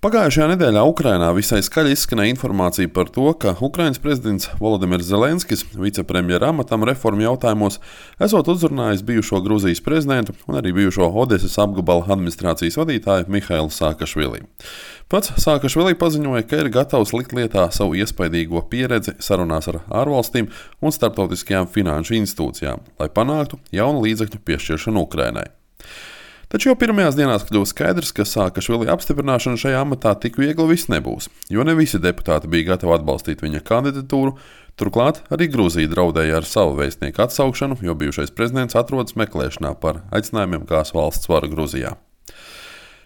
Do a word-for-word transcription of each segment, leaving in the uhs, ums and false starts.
Pagājušajā nedēļā Ukrainā visai skaļi izskanēja informācija par to, ka Ukrainas prezidents Volodimirs Zelenskis vicepremjera amatam reformu jautājumos esot uzrunājis bijušo Gruzijas prezidentu un arī bijušo Odesas apgabala administrācijas vadītāju Mihailu Saakašvili. Pats Saakašvili paziņoja, ka ir gatavs likt lietā savu iespaidīgo pieredzi sarunās ar ārvalstīm un starptautiskajām finanšu institūcijām, lai panāktu jaunu līdzekļu piešķiršanu Ukrainai. Taču jau pirmajās dienās kļuva skaidrs, ka Saakašvili apstiprināšana šajā amatā tik viegli viss nebūs, jo ne visi deputāti bija gatavi atbalstīt viņa kandidatūru. Turklāt arī Gruzija draudēja ar savu vēstnieku atsaukšanu, jo bijušais prezidents atrodas meklēšanā par aicinājumiem gāzt valsts varu Gruzijā.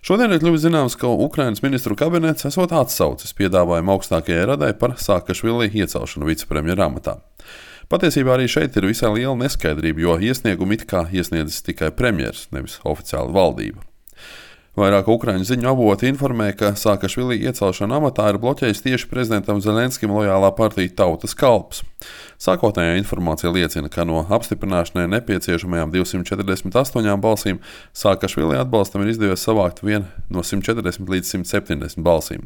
Šodien ir kļuvis zināms, ka Ukrainas ministru kabinets esot atsaucis piedāvājumu augstākajai radai par Saakašvili iecelšanu vicepremjera amatā. Patiesībā arī šeit ir visai liela neskaidrība, jo iesniegumu it kā iesniedzis tikai premjers, nevis oficiāla valdība. Vairāk Ukraiņu ziņu avoti informē, ka Saakašvili iecelšana amatā ir bloķējis tieši prezidentam Zelenskim lojālā partija Tautas kalps. Sākotnējā informācija liecina, ka no apstiprināšanai nepieciešamajām divsimt četrdesmit astoņām balsīm Saakašvili atbalstam ir izdevies savākt vien no simt četrdesmit līdz simt septiņdesmit balsīm.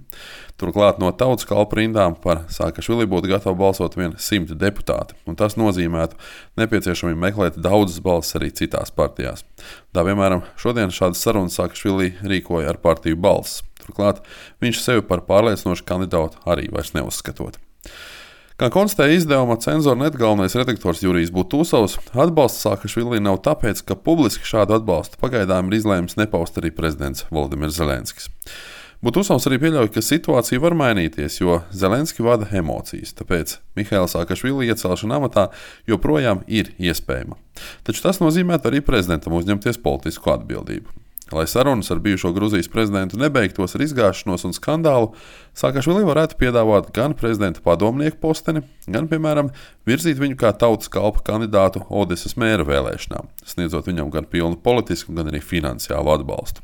Turklāt no Tautas kalpa rindām par Saakašvili būtu gatavi balsot vien simt deputāti, un tas nozīmētu nepieciešamību meklēt daudzas balsis arī citās partijās. Tā, piemēram, šodien šādas sarunas Saakašvili rīkoja ar partiju Balss. Turklāt viņš sevi par pārliecinošu kandidātu arī vairs neuzskatot. Kā konstatēja izdevuma Cenzor.net galvenais redaktors Jurijs Butūsovs, atbalsts Saakašvili nav tāpēc, ka publiski šādu atbalstu pagaidām ir izlēmis nepaust arī prezidents Volodimirs Zelenskis. Butūsovs arī pieļauj, ka situācija var mainīties, jo Zelenski vada emocijas, tāpēc Mihaila Saakašvili iecelšana amatā joprojām ir iespējama. Taču tas nozīmē arī prezidentam uzņemties politisku atbildību. Lai sarunas ar bijušo Gruzijas prezidentu nebeigtos ar izgāšanos un skandālu, Saakašvili varētu piedāvāt gan prezidenta padomnieku posteni, gan, piemēram, virzīt viņu kā Tautas kalpa kandidātu Odesas mēra vēlēšanām, sniedzot viņam gan pilnu politisku, gan arī finansiālu atbalstu.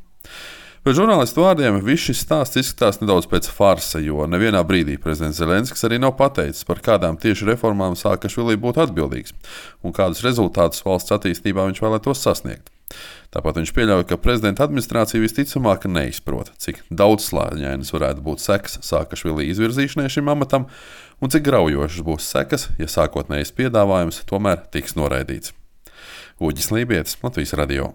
Pēc žurnālistu vārdiem viss šis stāsts izskatās nedaudz pēc farsa, jo nevienā brīdī prezidents Zelenskis arī nav pateicis, par kādām tieši reformām Saakašvili būtu atbildīgs un kādus rezultātus valsts attīstībā viņš vēlētos sasniegt. Tāpat viņš pieļauj, ka prezidenta administrācija visticamāk neizprot, cik daudzslāņainas varētu būt sekas Saakašvili izvirzīšanai šim amatam un cik graujošas būs sekas, ja sākotnējais piedāvājums tomēr tiks noraidīts. Uģis Lībietis, Latvijas radio.